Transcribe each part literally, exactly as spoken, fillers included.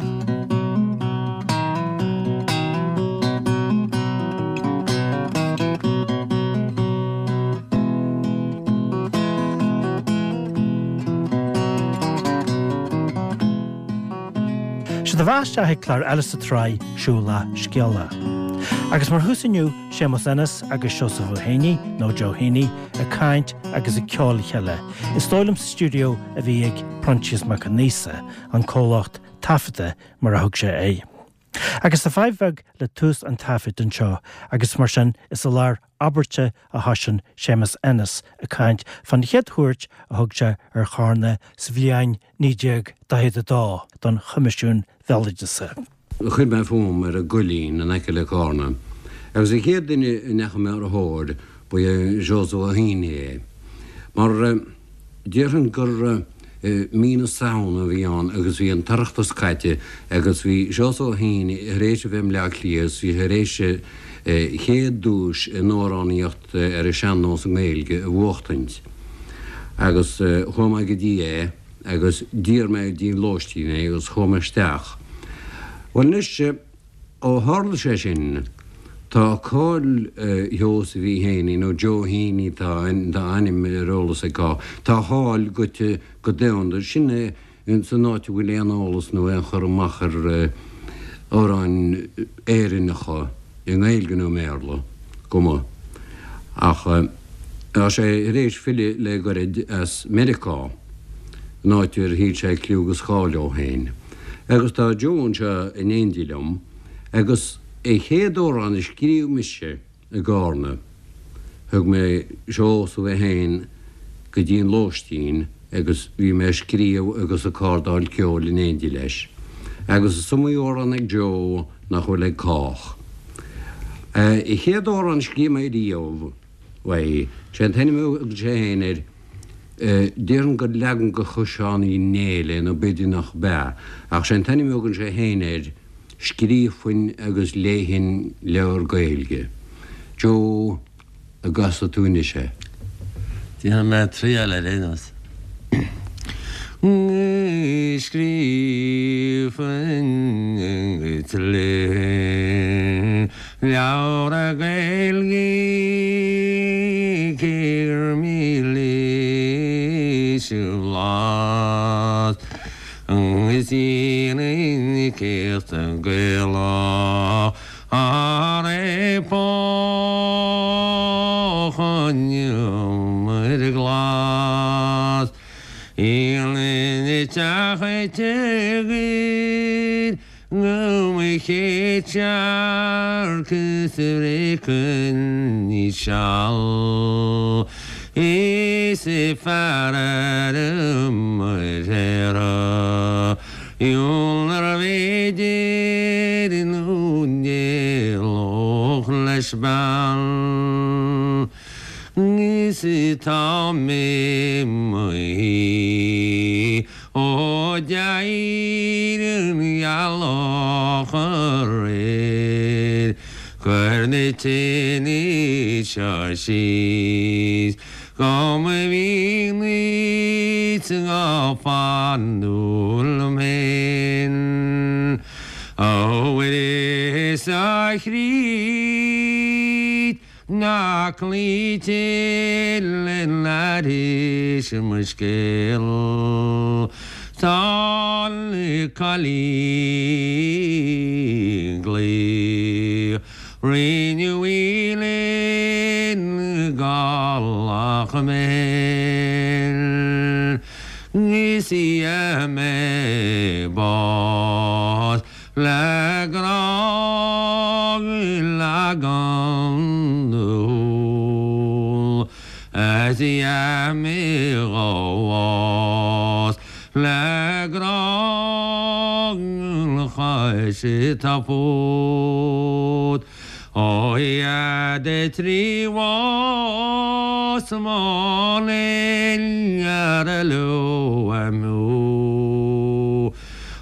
Sé do bheatha isteach ag clár eile sa tsraith Siúlach Scéalach. Agus mar thús inniu Séamus Ennis agus Seosamh Ó Héanaí nó Joe Heaney ag caint agus ag ceol le chéile. Is dóigh liom sa stiúideo a bhí ag Proinsias Mac Con Aosa, an comhlacht taifeadta mar a thug sé é. Agus tá fadhb bheag le tús an taifid anseo agus mar sin is i lár abairte a thosaíonn Séamus Ennis ag caint fan chéad chuairt a thug sé ar Charna sa bhliain naoi déag daichead a dó don Choimisiún Béaloideasa. Chuir mé fúm ar an gCoillín in aice le Carna, agus an chéad duine a ndeachaigh mé ar a thóir ba é Seosamh Ó hÉanaí é. Mar déarfainn gur mí na Samhna a bhí ann agus bhí an tOireachtas caite agus bhí Seosamh Ó hÉanaí tar éis a bheith i mBleá Cliath agus bhí tar éis a chéad duais in amhránaíocht ar an sean-nós i nGaeilge a bhuachtaint. Agus chuaigh mé go dtí é agus d'iarr mé dtí an lóistín é agus chuaigh mé isteach. Bhuel anois, ó tharla sé sin, tá cáil Sheosaimh Uí Héanaí, nó Joe Heaney tá a ainm ar eolas ag cách, tá a cháil goite go domhanda. Sin é san áit a bhfuil aon eolas nó aon chur amach ar amhráin Éireannacha i nGaeilge nó i mBéarla, cuma. Ach tá sé tar éis filleadh le goirid as Meiriceá, an áit ar thuill sé cliú agus cáil dó féin. Agus tá Joe anseo in éindí liom, agus an chéad amhrán a scríobh mise i gCarna, thug mé Seosamh é féin go dtí an lóistín agus bhí mé ag scríobh agus ag cardáil ceoil in éindí leis. Agus is iomaí amhrán ag Joe nach bhfuil ag cách. An chéad amhrán a scríobh mé riamh, bhuel, sé an t-ainm a thug sé féin air, déarfainn gur leagan de Choiseán Uí Néill é nó b'fhéidir nach b'ea, ach sé an t-ainm a thugann sé féin air, Scríobfainn agus Léifinn Leabhar Gaeilge. Joe, an gcasfaidh tú anois é? Déanfaidh mé triail ar aon nós. Scríobfainn agus léifinn leabhar Gaeilge cé gur mílis a bhlas is dhéanfainn céachta Gaelach thar epoch an iomaire glas. Íonann teach tír go mo chéad searc is a bhréacann ní seal is fearr ar an muir Iúl nárbh fhéidir nó d'éalódh leis bean is tá mé mo shuí ó d'éirigh an ghealach aréir Cuir na tine seo síos go mba mhian duit go fánúil liom féin A Mhuire 's a Chríost ná cloítear le n-aithris mo scéal Tá an cailín glaoch Rinneadh í linn Gallach mé féin Is í a mé bás le grá leagan dúil Is í a mé bás le grá chaith tá fút Ó Dhia de trí bhás mo linn ar a leo amú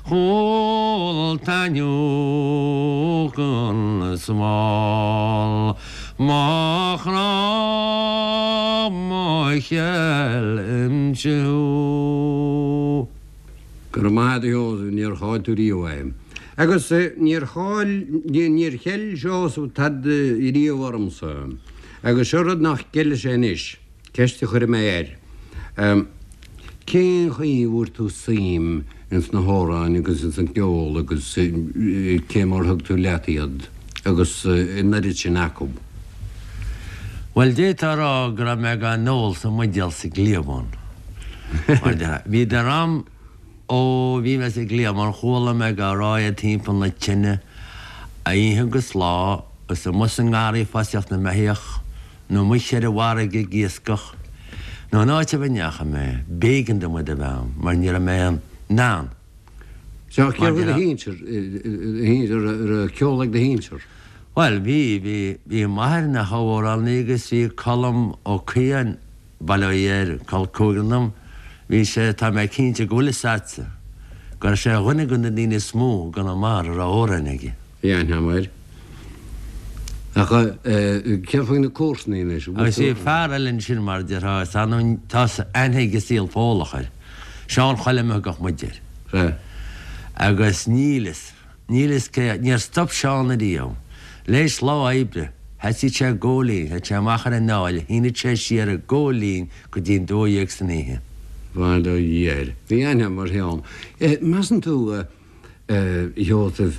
Chúl taitneamh an smál mo chrá mo cheil imsiú. Go raibh maith agat a Sheosaimh, níor chaill tú riamh é. Agus níor chaill, níor cheil Seosamh tada riamh ormsa. Agus seo rud nach gceilfidh sé anois, ceist a chuirfidh mé air. Cén chaoi a bhfuair tú suim ins na hamhráin agus ins an gceol agus cé mar a thug tú leat iad agus an oiread sin acu? Bhuel, d'fhéadfá a rá go raibh mé dhá n-ól sa mbuidéal sa gcliabhán. Mar déarfá. Bhíodar a'm ó bhí mé sa gcliabhán, chuala mé dhá rá iad timpeall na tine, oíche agus lá, agus amuigh sa ngarraí ag fosaíocht na mbeithíoch, nó amuigh ar an bhfarraige ag iascach, nó in áit ar bith a ndeachaigh mé, b'éigean dom iad a bheith a'm, mar ní raibh mé in ann. Sea, céard faoi do shinsir, a raibh ceol ag do shinsir? Bhuel, bhí, bhí, bhí m'athair ina thabhamhránaí agus bhí Colm Ó Caodháin, bail ó Dhia air, col cúigear dom, bhí sé, tá mé cinnte go bhfuil fhios a'dsa, go raibh sé ar dhuine de na daoine is mó i gConamara a raibh amhráin aige. Bhí aithne a'm air. Ach céard faoi na comharsanaí anois? Agus bhí fear eile ansin mar a déarfá, is annamh, tá aithne ag an saol Fódhlach air, Seán Choilm a thugadh muid air. Sea. Agus níl fhios. Níl fhios cé, níor stop Seán ariamh. L'éis lá oibre, sheasaíodh sé ag gabháil fhoinn, théadh sé amach ar an aill, shíneadh sé siar ag gabháil fhoinn go dtí an dó dhéag san oíche. Bail ó Dhia air. Bhí aithne agam ar Sheán. Measann tú, a Sheosaimh,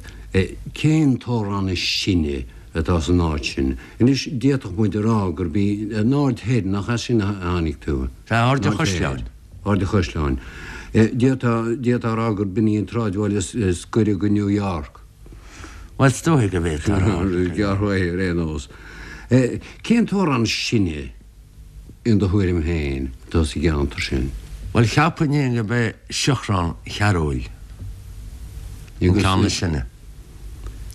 cén t-amhrán is sine atá san áit sin? Anois, d'fhéadfadh muid a rá gurb í an Aird Thoir, nach as sin a tháinig tú? Sea, Aird an Chaisleáin. Aird an Chaisleáin. D'fhéadfá a rá gurb in í an tsráidbhaile is gaire go New York. Bhuel, is dóigh go bhféadfá a rá. Gearr uaidh ar aon nós. Cén t-amhrán is sine, in do thuairim féin, atá sa gceantar sin? Bhuel, cheapfainn féin gurb é Siochrán Chearúil an ceann is sine.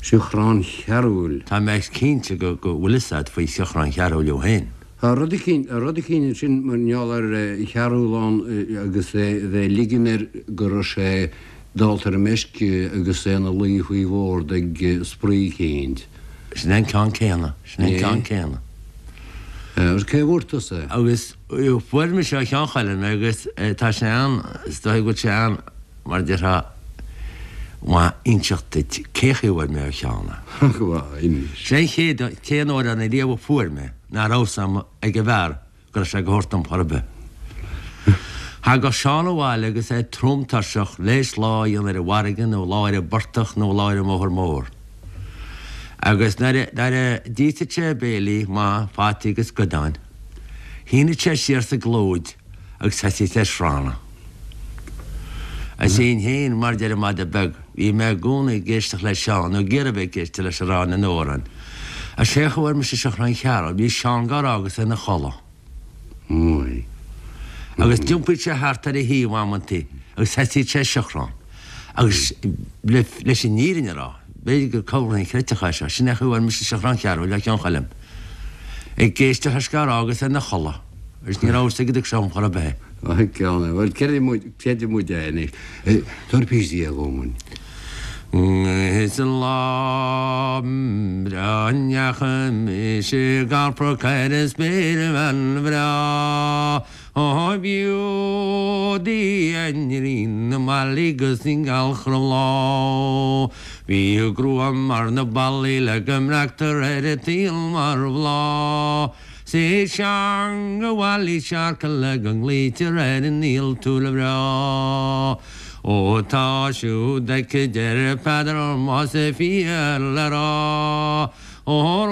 Siochrán Chearúil. Tá mé cinnte go bhfuil fhios agat faoi Shiochrán Chearúil thú féin. Tá rud eicínt, rud eicínt ansin mar gheall ar Chearúlán agus é bheith ag ligean air go raibh sé dálta ar an meisce agus é ina luí faoi bhord ag spraoi eicínt. Sin é an ceann céanna, sin é an ceann céanna. Agus cé bhfuair tusa é? Agus fuair mise ó Sheán Choilm é agus tá sé an, is dóigh go bhfuil sé an, mar a déarfá, maith inseacht duit cé chaoi a bhfuair mé ó Sheán é. Ach, inis. Sé an chéad, t-aon amhrán ariamh a fuair mé ná raibh fhios a'm ag an bhfear go raibh sé go thabhairt dom chor ar bith. Thagadh Seán abhaile agus é trom tuirseach, l'éis lá a dhéanamh ar an bhfarraige nó lá ar an bportach nó lá ar an mbóthar mór. Agus nuair a, nuair a d'íosfadh sé a bhéilí maith, fataí agus goideáin, shíneadh sé siar sa gclúid agus thosaíodh sé ag srannadh. Is sinn féin, mar deir an madadh beag, bhí mé i gcónaí ag éisteacht le Seán, nó ag iarraidh bheith ag éisteacht leis ag rá na n-amhrán. Is sé a fuair mise Siochrán Chearúil, bhí Seán dhá rá agus é ina chodladh. Agus d'iompaíodh sé thart ar a thaobh amantaí agus thosaíodh sé ag siochrán. Agus leis an fhírinne a rá, b'fhéidir gur corr inchreidteach é seo, sin é chaoi a bhfuair mise Siochrán Chearúil ó Sheán Choilm. Ag éisteacht leis dhá rá agus é ina chodladh. Agus ní raibh fhios aige go dtug sé dhom chor ar bith é. Maith ceann é. Bhuel, creidfidh muid, creidfidh muid é anois. Tabhair píosa dhe dhom. Is an lá breá a ndeachaigh mise ag alpadh ar an spéirbhean bhreá, ó b'fhiú di a n-iníon na mballaí 'gus an ghealach roimh lá. Bhí a grua mar na ballaí le go mbreactar ar an tsaol mar bhláth. 'S í teanga bhaile searca le go nglaoitear ar an fhiadhúlra breá. Ó tá siúd aici deir Peadar más fíor le rá. Ó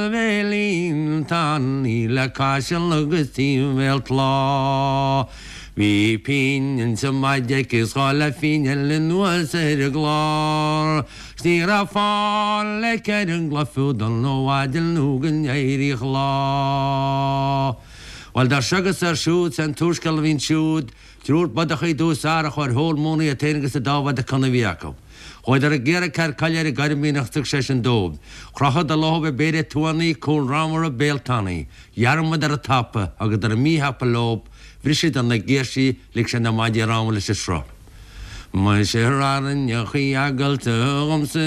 róbhéilín tanaí le caiseal agus timhéal tláth. Bhí pingin sa maide aici 's dhá leathphingin eile anuas ar an gclár. 'S ní raibh fáil aici ar an gcloich fiú dul 'na mhaidin nó go n-éiríodh lá. Bhuel, dar seo agus ar siúd, 's é an t-úrscéal a bhí ansiúd, triúr bodachaí i dtús árthach ar thól móna iad féin agus an dá mhada cona a bhí acu. Chuadar ag iarraidh cead coille ar an gCoirmín ach thug sé sin dóibh. Chrochadar leothab ag péire tuannaí, cúl ramhar, béal tanaí. Dhearmadar an tapa, thugadar an míthapa leob, bhriseadar na girsí, lig siad na maidí rámha leis an sruth. Muise ráinneachaí agailte gomsa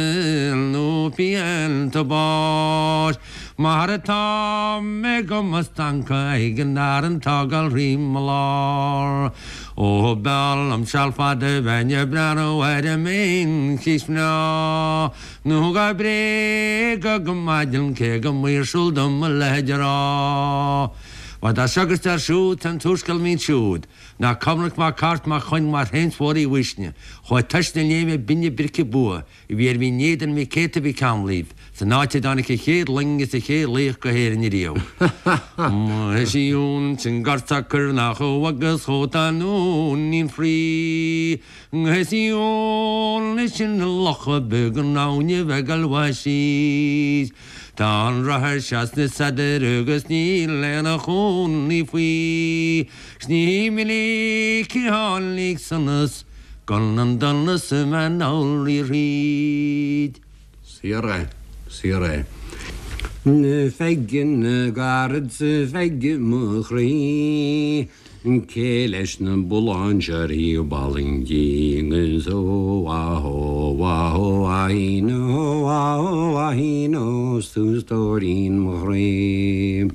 nó pianta báis, Mar atá mé go mo stanca ag an an tágal rí mo lár. Ó b'fhearr liom seal fada bheinn ag breathnú ar an mBean Chíos mná, nó go bréagadh go maidin cé go maoirsiúil dom a leithéid a rá. Mar dá seo agus dar siúd tá an t-úrscéal mín siúd, ná Cormac Mac Airt mac Choinn mar Shéamuis Mhóir Uí Uisne, chuaigh tois na léime binne brice bua, a bhí ar Mhín Éadain Mhic Éata Mhic Amhlaoibh, san áit a dtáinig an chéad loing is an chéad laoch go hÉirinn ariamh. Siún sin gartacar nach agus chóta nóinín frí. Siún sin locha beag an áine bheith galbha síos. Tá an rothar seasna saidir agus níl lena chónaí faoi. Sní mí cíhálig sanas gan an donas a man ríd. Saor é, saor é. Feigin gairid feige mo chroí, Cé leis na bulláin seo bailingí agus ó ahó ahó ahíno ahó ahíno tú stóirín mo chroí.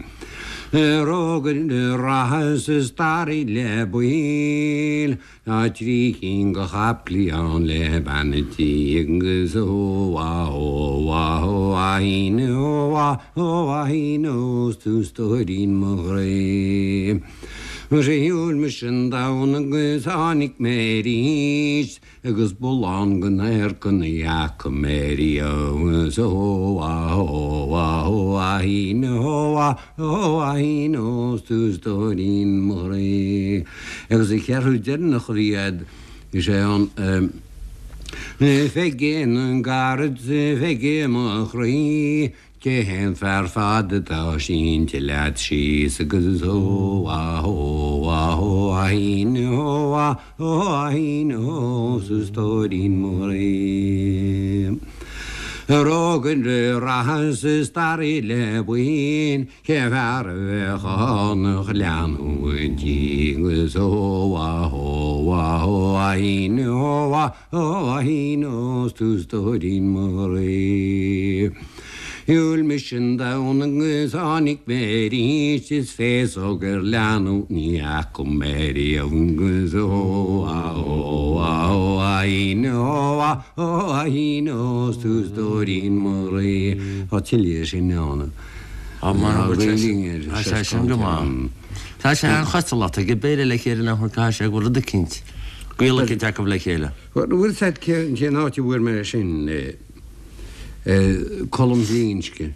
Rógan rathas is starí le buil, Tá trí cinn go chaiplí ann le beanatí agus ó ahó ahó ahíno ahó ahíno tú stóirín mo chroí. Shiúil mise an domhan agus tháinig mé arís, agus bullán go n-air ní fhaca mé riamh so ahó ahó ahíno ahó ahíno tú stóirín mo chroí. Agus an ceathrú deireanach a bhí agat is é an Feigin an gairid feige mo chroí, Cé hé an fear fada atá sínte leat síos agus ó ahó ahó ahíno ahó ahíno sa stóirín mo chroí. Rógan rathas is staraí le buin, cé fear a bheadh ann leanúint di agus ó ahó ahó ahíno ahó ahíno tú stóirín mo chroí. Shiúil mise an domhan agus tháinig mé arís is féasóg ar leanúint ní fhaca mé riamh agus ó ahó ahó ahíno ahó ahíno tú stóirín mo chroí. Tá tuilleadh sin ann. Tá sé sin go maith. Tá sé an chosúlacht ag béile le chéile nach cá sé go rud eicínt. Gaol eicínt acu le chéile. Bhfuil said cén áit a bhfuair mé sin Colm Zínske,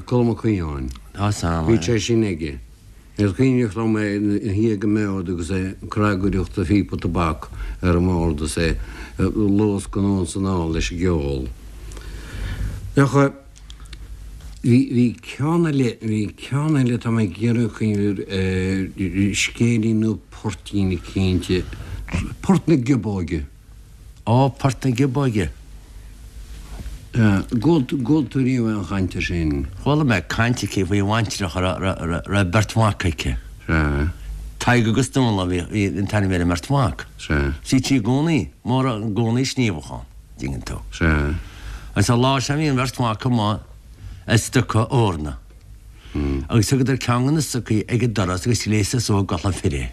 Colm Ó Caoláin. Tá sam. Bhí sé sin aige. Is cuimhneach liom é ina shuí ag an mbord agus é ag cnagaireacht a phíopa tobac ar an mbord is é ag luascadh anonn is anall leis an gceol. Ach bhí bhí ceann eile, bhí ceann eile tá mé ag iarraidh cuimhneamh air, scéilín nó poirtín eicínt, Port na Giobóige. Ó, Port na Giobóige. Gcuala tú riamh aon chaint air sin? Chuala mé caint aici faoi bhaintreach a raibh beirt mhac aici. Sea. Tadhg agus Dónal a bhí an t-ainm ar an mbeirt mhac. Sea. Bhítí i gcónaí, mórán i gcónaí ag sníomhadh ann, dtuigeann tú. Sea. Agus an lá sin bhí an bheirt mhac amuigh ag stoca eorna. Agus thugadar ceann de na stocaí ag an doras agus ghléasadar suas i gculaith fir é.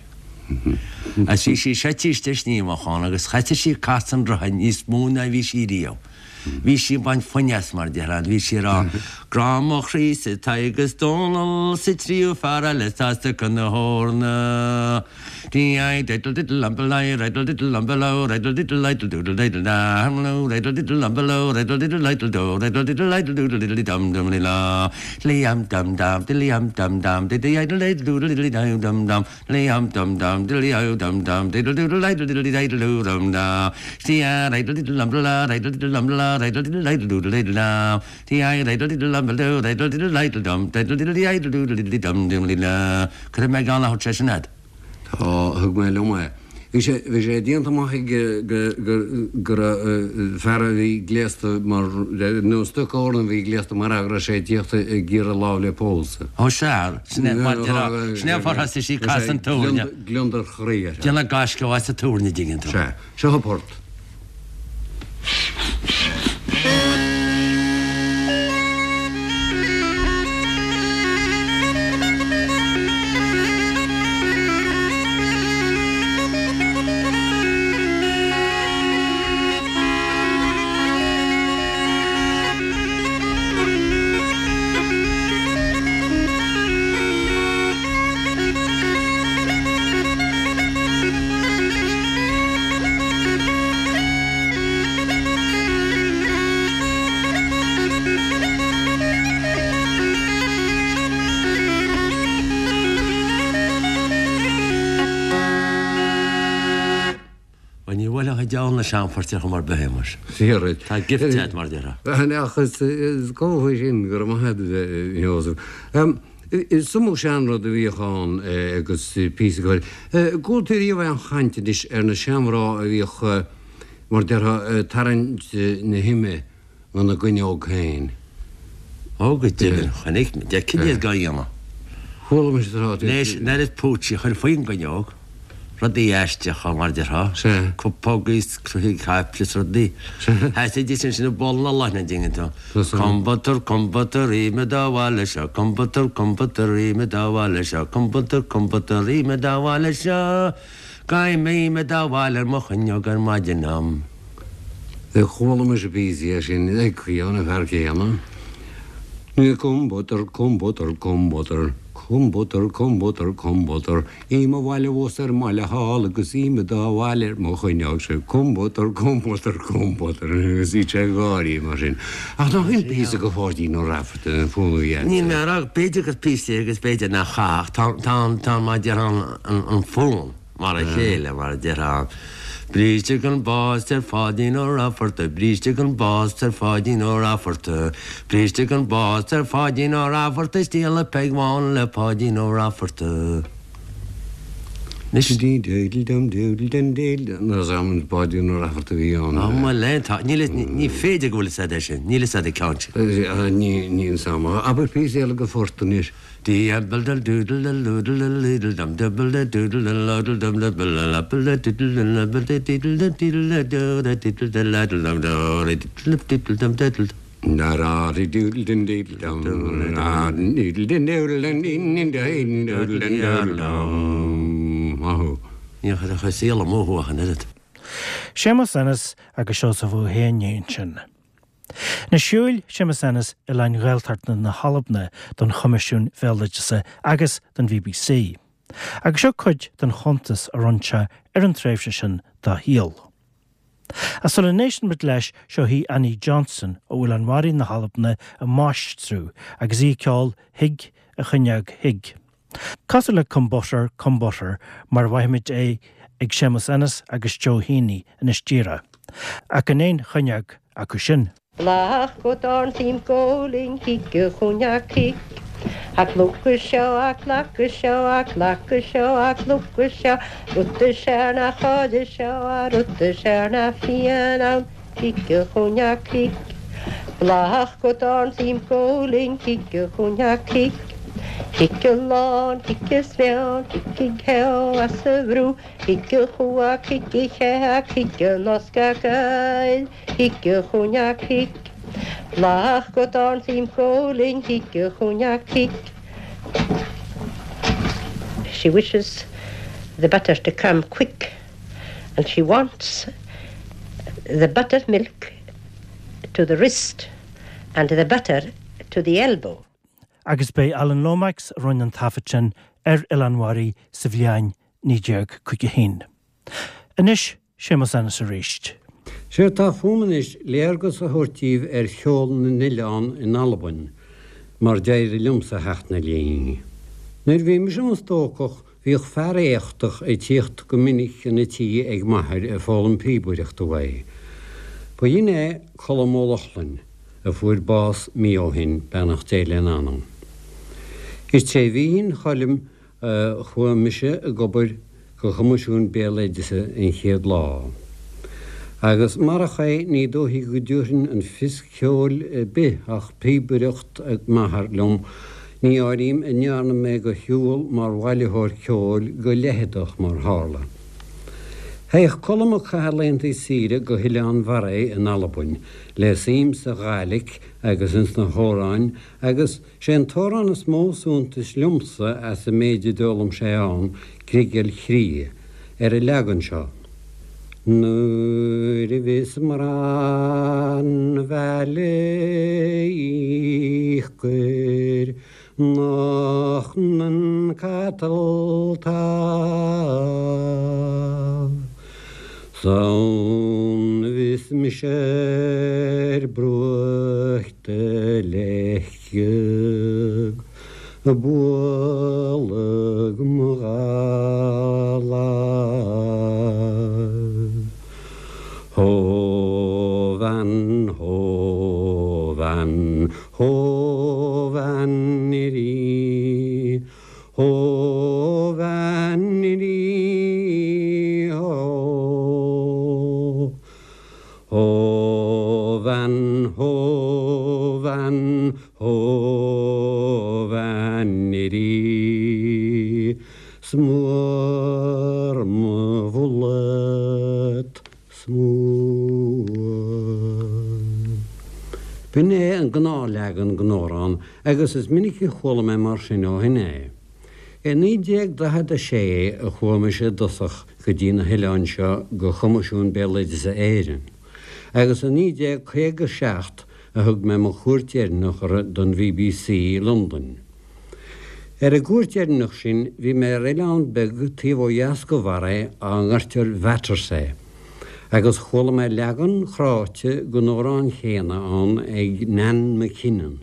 Agus bhí sí seite istigh ag sníomhadh ann agus chaiteadh sí ag casadh an rotha níos mó ná bhí sí riamh. Bhí sí ag baint foinn as mar déarfá, bhí sí ag rá, Grá mo chroí-sa Tadhg is Dónal 's an tríú fear eile atá ag stoca na heorna. Dí diddle diddle umble riddle diddle umble riddle diddle idle doodle diddle dam riddle diddle umble riddle diddle idle do riddle diddle idle doodle diddle dum dum la liam dum dum diddly dum dum diddly idle idle doodle diddly dum dum dum liam dum dum diddly dum dum diddle doodle idle diddly idle doo dum da sia riddle diddle umble riddle diddle umble riddle diddle idle doodle diddle dum sia riddle diddle umble do riddle diddle idle dum diddle diddly idle doodle diddly dum dum la Cuirfidh mé gan a thabhairt sé sin agat. Tá, thug mé liom é. Bhí sé bhí sé déanta amach aige go raibh fear a bhí gléasta mar nó stucóir a bhí gléasta mar fhear go raibh sé ag tíocht ag iarraidh lámh le pósadh. Ó sea, sin é mar déarfá, sin é an fáth ar thosaigh sí ag casadh an túirne. Gliondar chroí air. Déanamh gaisce as an túirne, dtuigeann tú. Sea, seo an port. Bhuel, ní bhuailfeadh an diabhal na seanphoirt ar chuma ar bith é, muis. Fíor duit. Tá gift agat, mar a déarfá. Ach is cóir sin go raibh maith agat, a Sheosaimh. Is iomaí seanrud a bhíodh ann agus píosa ceoil. Gcuala tú riamh aon chaint anois ar na seanmhná a bhíodh, mar a déarfá, ag tarraingt na hime gona gcuinneog féin? Ó, go deimhin, chonaic mé, d'fheicfinn iad dhá dhéanamh. Chuala mise tráth. Leis an oiread púitsí a chur faoin gcuinneog, rudaí aisteacha, mar a déarfá, Sea. cupógaí is croithí caiple is rudaí. Sea. Sheasaidís ansin i bpoll na leoithne, an dtuigeann tú. Tá san. Combutter, combutter, ime dá bhaile seo, combutter, combutter, ime dá bhaile seo, combutter, combutter, ime dá bhaile seo, Gabhaim ime dá bhaile ar mo chuinneog ar maidin am. Chuala mise píosa é sin ag caoineadh an fear céanna. Combutter, combutter, combutter, combutter, combutter, combutter, ime abhaile abhus ar an mbaile thall agus ime dá bhaile ar mo chuinneog seo, combutter, combutter, combutter, agus iad sé ag gáirí mar sin. Ach nach in píosa go Pháidín Ó Raifeartaigh an fonn a bhí Níl mé a rá, b'fhéidir gur píosa é agus b'fhéidir nach ea ach tá, tá, tá, mar a déarfá, an, an fonn mar a chéile, mar a déarfá. Bríste gan bás ar Pháidín Ó Raifeartaigh, bríste gan bás ar Pháidín Ó Raifeartaigh, bríste gan bás ar Pháidín Ó Raifeartaigh, is díoladh Peig Bhán le Páidín Ó Raifeartaigh. Anois. Dí doodle dum doodle dum doodle dum Nuair a an Páidín Ó Raifeartaigh a bhí ann. Á mo léan, tá, níl a, ní féidir go bhfuil fhios a'd é sin, níl fhios a'd an ceann sin. Ní, níl fhios a'm. Abair píosa eile go phort anois. Ní chuirfeadh saol amú thú ach an oiread. Séamus Ennis agus Seosamh Ó hÉanaí ansin. Anois shiúil Séamus Ennis oileáin Ghaeltachta na hAlban don Choimisiún Bhéaloideasa agus don BBC. Agus seo cuid den chuntas a rinne sé ar an tréimhse sin dá shaol. Ach sula n-éisteann muid leis, seo í Annie Johnston ó Oileán Mharaí na hAlban ag máistriú agus í ag ceol Thig a Chuinneog Thig. Cosúil le Come Butter, Come Butter mar a bhfaighimid é ag Séamus Ennis agus Joe Heaney anois díreach. Ach gan aon chuinneog acu sin. Blach go dorn timkoling hikke chunja kik. A klukka sjö, a klakka sjö, a klakka sjö, a klukka sjö. Rutte stjärna sjöde sjö, a rutte stjärna fianan. Hikke chunja kik. Blach go dorn timkoling hikke chunja kik. Hikke lan, hikke svjörn, hikke kö, asevro. Hikke hoa, hikke kä, hikke norska göl. Hikke chunja kik. Blach go dorn timkoling hikke chunja kik. She wishes the butter to come quick, and she wants the buttermilk to the wrist and the butter to the elbow. Agus b'é Alan Lomax a rinne an taifead sin ar Oileán Mharaí sa bhliain naoi déag caoga a haon. Anois, Séamus Ennis arís. Sé atá fúm anois léargas a thabhairt daoibh ar cheol na n-oileán in Albain, mar d'éirigh liomsa theacht 'na linn. Nuair a bhí mise i mo stócach bhíodh fear éachtach ag tíocht go minic chun a tí ag m'athair ag foghlaim píobaireachta uaidh. Ba shin é Colm Ó Lochlainn, a fuair bás mí ó shin, beannacht Dé lena anam. Is tré bhíthin Choilm a chuaigh mise ag obair go Choimisiún Béaloideasa an chéad lá. Agus marach é ní dóichí go dtabharfainn an fios ceoil ar bith ach píobaireacht ag m'athair liom, ní áirím a ndearna mé de shiúl mar bhailitheoir ceoil go leitheadach mar tharla. Théadh Colm ag caitheamh laethanta saoire go hOileán Bharraigh in Albain, le suim sa Ghàidhlig agus ins na hamhráin agus sé an t-amhrán is mó suntais liomsa as an méid a d'fhoghlaim sé ann, Griogair Chridhe, ar an leagan seo. Nuair a bhíos mná an bhaile íochtair nach nan capall támh. San bhís mise ar bruach do leithcheag bualadh mo dhá lámh. Hó bhean, hó bhean, hó bhean rí, hó bhean rí, hó. Hó bhean, hó bhean, hó bhean rí, Smuar mo bhullet, smuar. B'in é an gnáthleagan den amhrán agus is minic a chuala mé mar sin ó shin é. I naoi déag daichead a sé a chuaigh mise i dtosach go dtí na hoileáin seo go Choimisiún Béaloideasa Éireann, agus i naoi déag caoga seacht a thug mé mo chuairt dheireanach orthu don BBC i Londain. Ar an gcuairt dheireanach sin bhí mé ar oileán beag taobh ó dheas de Bharraigh á ngairtear Vatersay, agus chuala mé leagan cráite den amhrán chéanna ann ag Nan McKinnon.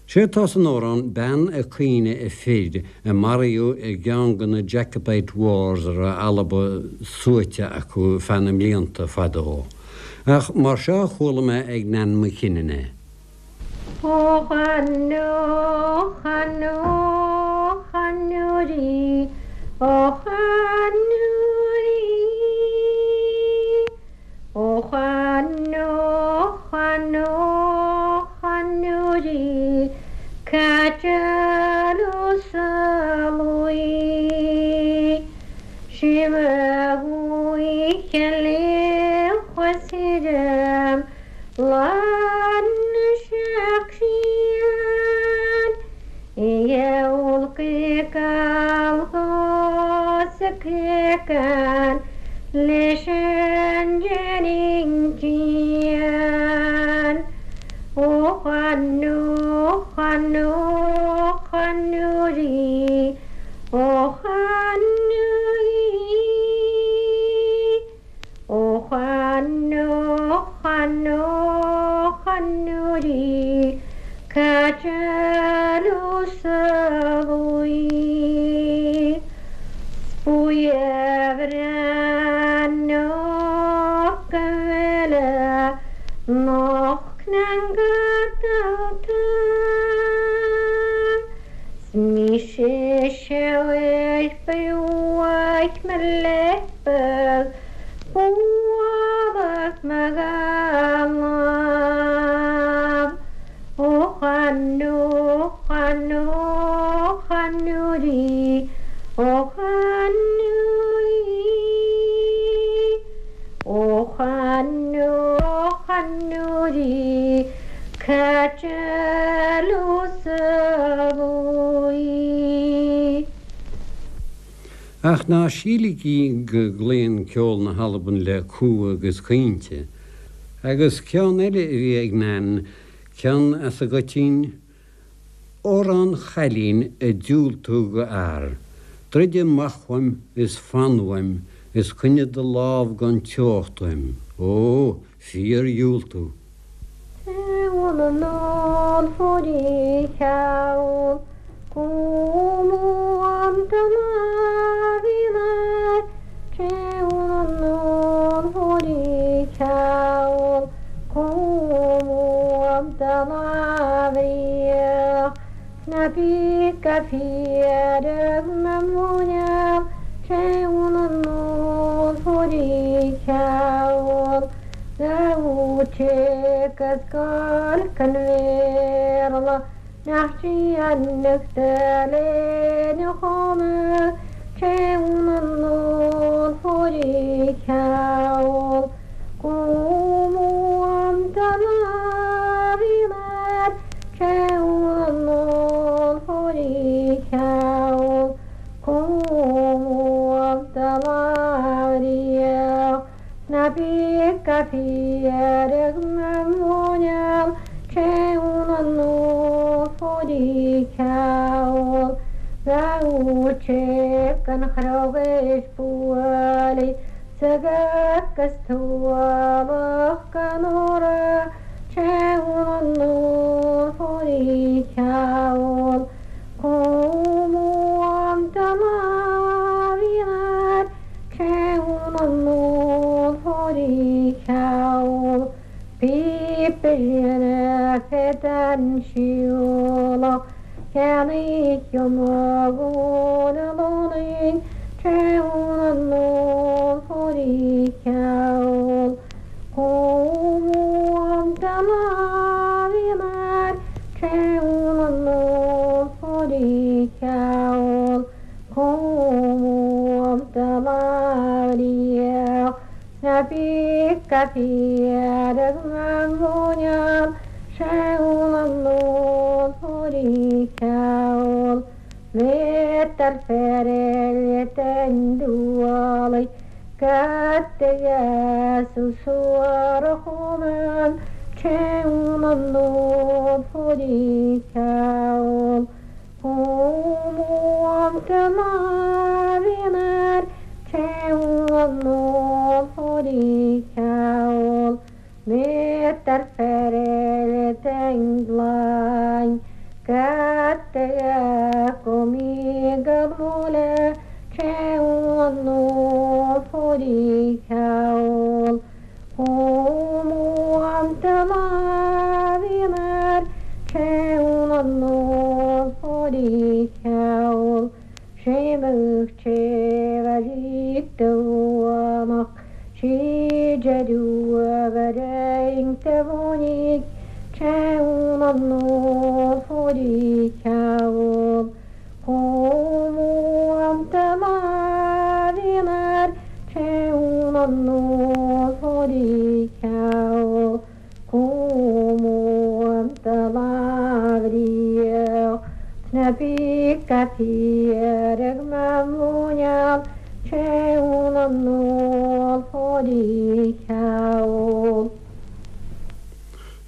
Sé atá san amhrán bean ag caoineadh a fir a maraíodh i gceann de na Jacobite Wars a raibh Alba suaite acu feadh na mblianta fadó. Ach mar seo a chuala mé ag Nan McKinnon é. Ó chanú, chanú, chanúrí, ó chanúrí. Ó chanú, chanú, chanúrí, Cajalu salui. Shimagui kele khwasiram lan shakshian Yulqikal khoskikan lishan janinkian O khanu khanu khanuri O khanuri O khanu khanu khanuri Kajalu salui Spujevran nok noch Smishe buach me leppel buach me galam O chanu chanu chanuri O chanuri O chanu chanuri Kajalu salui Ach ná síligí go gcloíonn ceol na hAlban le cumha agus caointe, agus ceann eile a bhí ag Nan, ceann as an gcoitín, Amhrán chailín ag diúltú do fhear, Druid amach uaim is fan uaim is coinnigh do lámh gan teocht uaim, ó, fíordhiúltú. Unan fori kaul Kumu amtana vinar Unan fori kaul Kumu amtana vinar Napika fiadeg mamunyam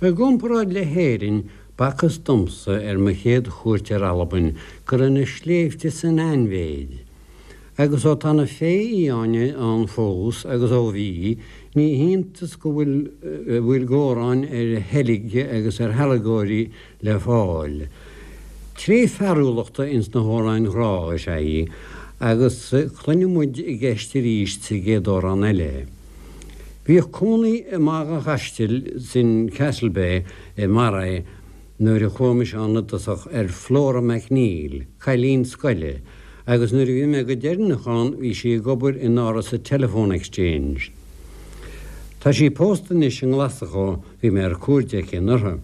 I gcomparáid le hÉirinn, b'fhacthas domsa ar mo chéad chuairt ar Albain go raibh na sléibhte san ainmhéid. Agus ó tá na féith fhiáine ann fós agus ó bhí, ní hiontas go bhfuil bhfuil góráin ar sheilg agus ar shealgóirí le fáil. Tréith fearúlachta ins na hamhráin ghrá is ea í, agus cluinfidh muid i gceist arís sa gcéad amhrán eile. Bhíodh cónaí i mBaile an Chaistil sin Castlebay i Moray nuair a chuaigh mise ann i dtosach ar Flora MacNeil, cailín scoile, agus nuair a bhí mé go deireanach ann bhí sí ag obair in áras an Telephone Exchange. Tá sí pósta anois i nGlaschú, bhí mé ar cuairt aici anuraidh.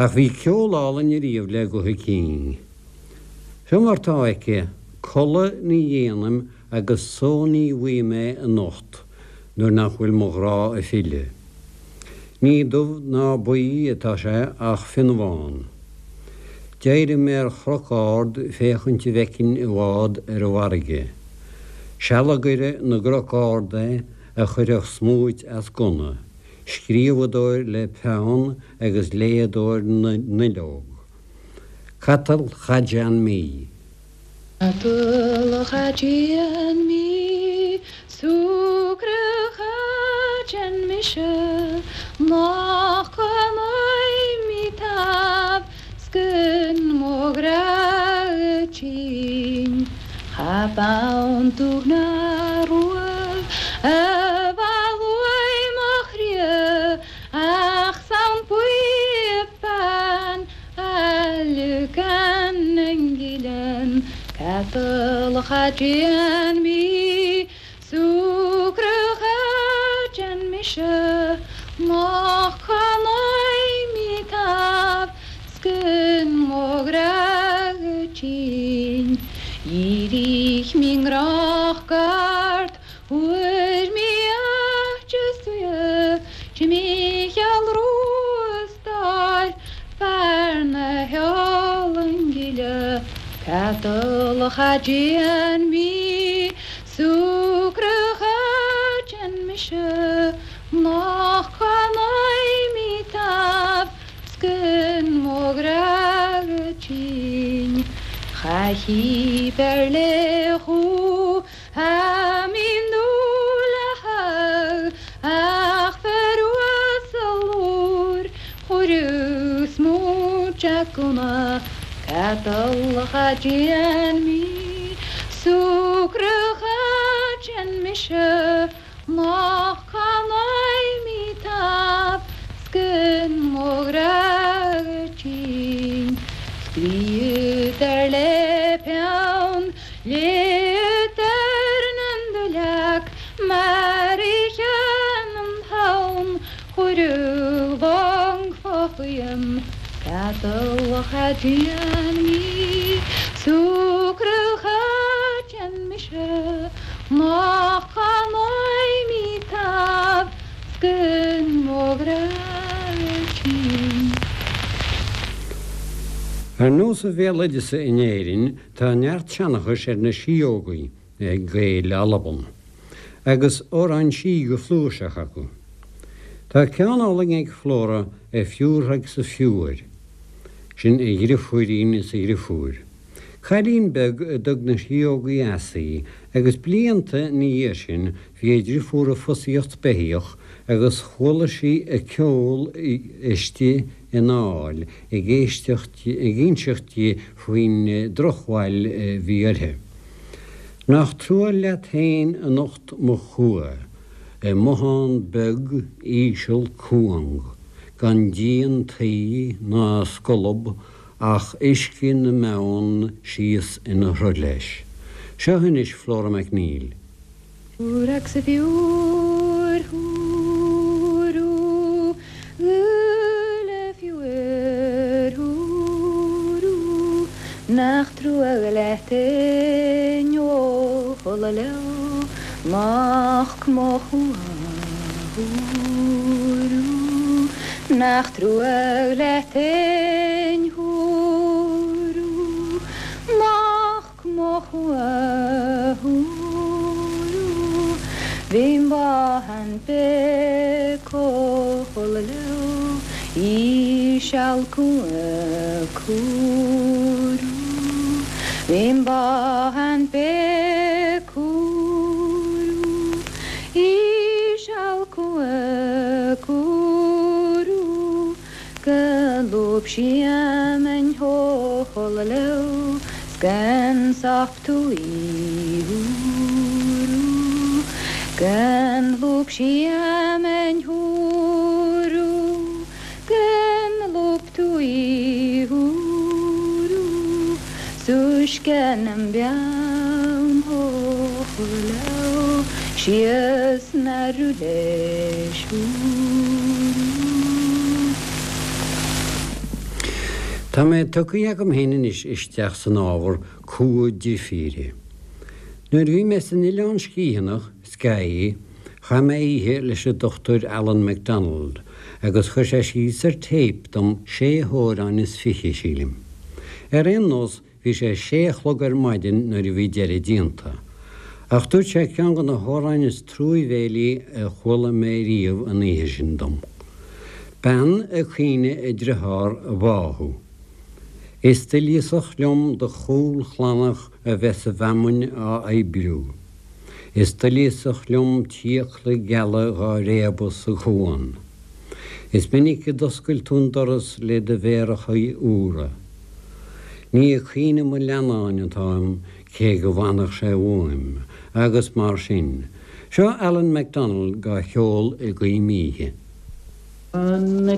Ach bhí ceol álainn ariamh le guth a cinn. Seo mar tá aici, codladh ní dhéanaim agus só ní bhfaighidh mé anocht nuair nach bhfuil mo ghrá ag filleadh. Ní dubh ná buí atá sé ach fionnbhán. D'éirigh mé ar chnoc ard féachaint an bhfeicfinn i bhfad ar an bhfarraige. Sealgaire na gcnoc ard é a chuirfeadh smúit as gunna, scríobhadóir le peann agus léadóir na nduilleog. Catal Chajan Mí. Catal Chajan Mí, Sucre Chajan Mise, Nach mi tab, Skun mo grachin, Chabaun tugna rua, Evaluai mochrie, Ach saun puipan, Alukan ngilen, Catalacha déan mí Súcracha déan mise Nach canai mi tab Scun mo tinn Írich mi ngrach gart Huair mi aiste Ti Micheál Rústáil Fear na heolann gile Catalacha déan mí Súcracha déan mise Nach canai mi tab Scun mo tinn Chaithí ber le chu a min ach feruasalúr chorús mó Catalacha déan mi Súcracha déan mise Nach canai mi tab Scun mo tinn Scríútar le peann Létar nan Mar i cheann an Chuirú bhang fáim Catalacha déan mi Súcracha déan mise Nach canai mi tab Scun mo tinn Ar nós a bhéaloideasa in Éirinn tá neart seanchais ar na síógaí ag Gaeil Alban, agus amhráin sí go flúirseach acu. Tá ceann álainn ag Flora a fiúrthaigh sa fiúir, sin a dhriofúirín is a dhriofúr. Cailín beag a dtug na síógaí as í, agus blianta ina dhiaidh sin bhí a driofúr ag fosaíocht beithíoch agus chuala sí a ceol istigh in áil ag éisteacht ag inseacht di faoin drochbhail a bhí uirthi. Nach trua leat féin anocht mo chumha, i mbothán beag íseal cúng, gan díon tuí ná scolb ach uisce na mbeann síos ina shruth leis. Seo anois Flora MacNeil. Úrach sa fiúr húrú le fiúr húrú Nach trua leat ó leo Nach mo húrú Nach trua leat húrú Nach mo húrú Bhím bahan be leo Íseal cúrú Bhím bahan be cúrú Íseal cúrú Go lúb siamen hóla leo Scan soft húrú Gan lúb siamen húrú Gan lúb túí húrú Súisce an beann hóla Síos na leis húrú Tá mé tugtha agam féin anois isteach san ábhar cumha deirfíre. Nuair a bhí mé san Oileán Sciathanach, Skye, chaith mé oíche leis an Dochtúir Alan MacDonald, agus chuir sé síos ar téip dom sé hamhrán is fiche sílim. Ar aon nós bhí sé sé a chlog ar maidin nuair a bhí deireadh déanta. Ach dúirt sé ceann de na hamhráin is truamhéalaí a chuala mé riamh an oíche sin dom. Bean ag caoineadh a dearthár a bháthadh. Is doilíosach liom do chúl chlannach a bheith sa bhfeamainn á oibriú. Is doilíosach liom t'fhiacla geala dhá réabadh sa chuan. Is minic a d'oscail tú an doras le do mhéaracha úra. Ní ag caoineadh mo leannáin atáim cé go bhfanfadh sé uaim, agus mar sin. Seo Alan MacDonald dhá cheol i gcoim oíche. An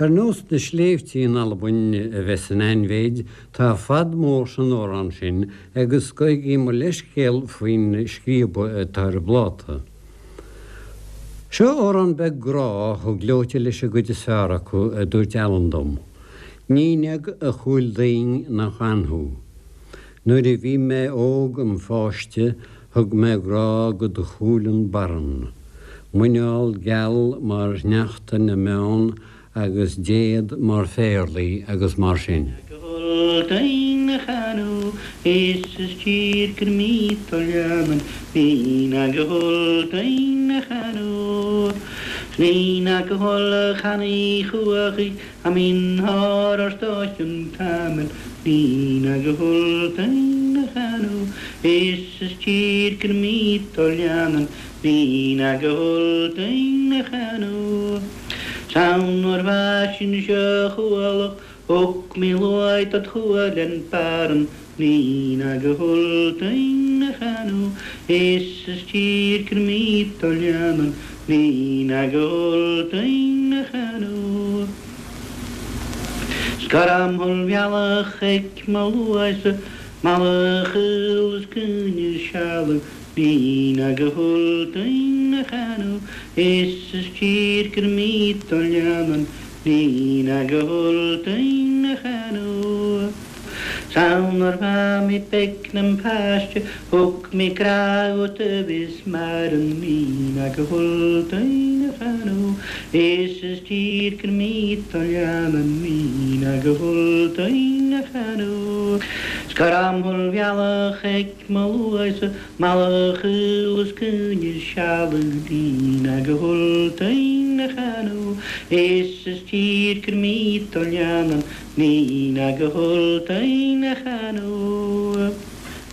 Ar nós na sléibhte in Albain a bheith san ainmhéid, tá fad mór san amhrán sin agus gabhaigí mo leithscéal faoin scríobadh atá ar an bpláta. Seo amhrán beag grá chomh gleoite leis an gcuid is fearr acu a dúirt Alan dom. Níneag a chúil daoin nach anthú. Nuair a bhí mé óg im pháiste thug mé grá go do chúileann barran. Muineál geal mar shneachta na mbeann agus déad mar phéarlaí agus mar sin. Saunor vasin sjöhuolok, ok mi luaitat huolen päärn, Niina gehultain hanu, is styrker mitoljanan, Niina gehultain hanu. Skaram hol bjalach ik maluaise, malachils kunje sjalen, Niina gehultain hanu, is styrker mitoljanan, Niina gehultain hanu. Saunar var mi peknem päästö, huk mi kraut vismaren mina gehultain hanu, is styrker mitoljanan, mina gehultain hanu. Skaram hol bjalach ik maluaise, malachils kunje sjalen, Nina gehultain hanu, is styrker mitoljanan, Nina gehultain hanu.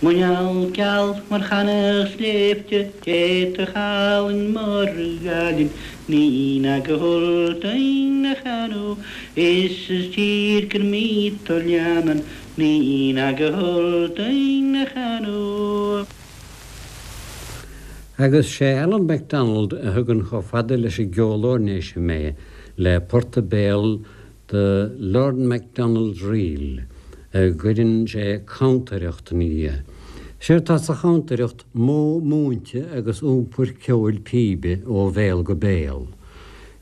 Munjal kjal mar chanach sleepte, te halen morgalin, Nina gehultain hanu, is styrker mitoljanan, Nina gehultain hanu. Agus sé Alan MacDonald a thugann chomh fada leis an gceol oirnéise mé le port béil the Lord MacDonald's Reel, a gcuireann sé cantaireacht ina dhiaidh. Séard atá sa chantaireacht modh múinte agus iompar ceoil píbe ó bhéal go béal.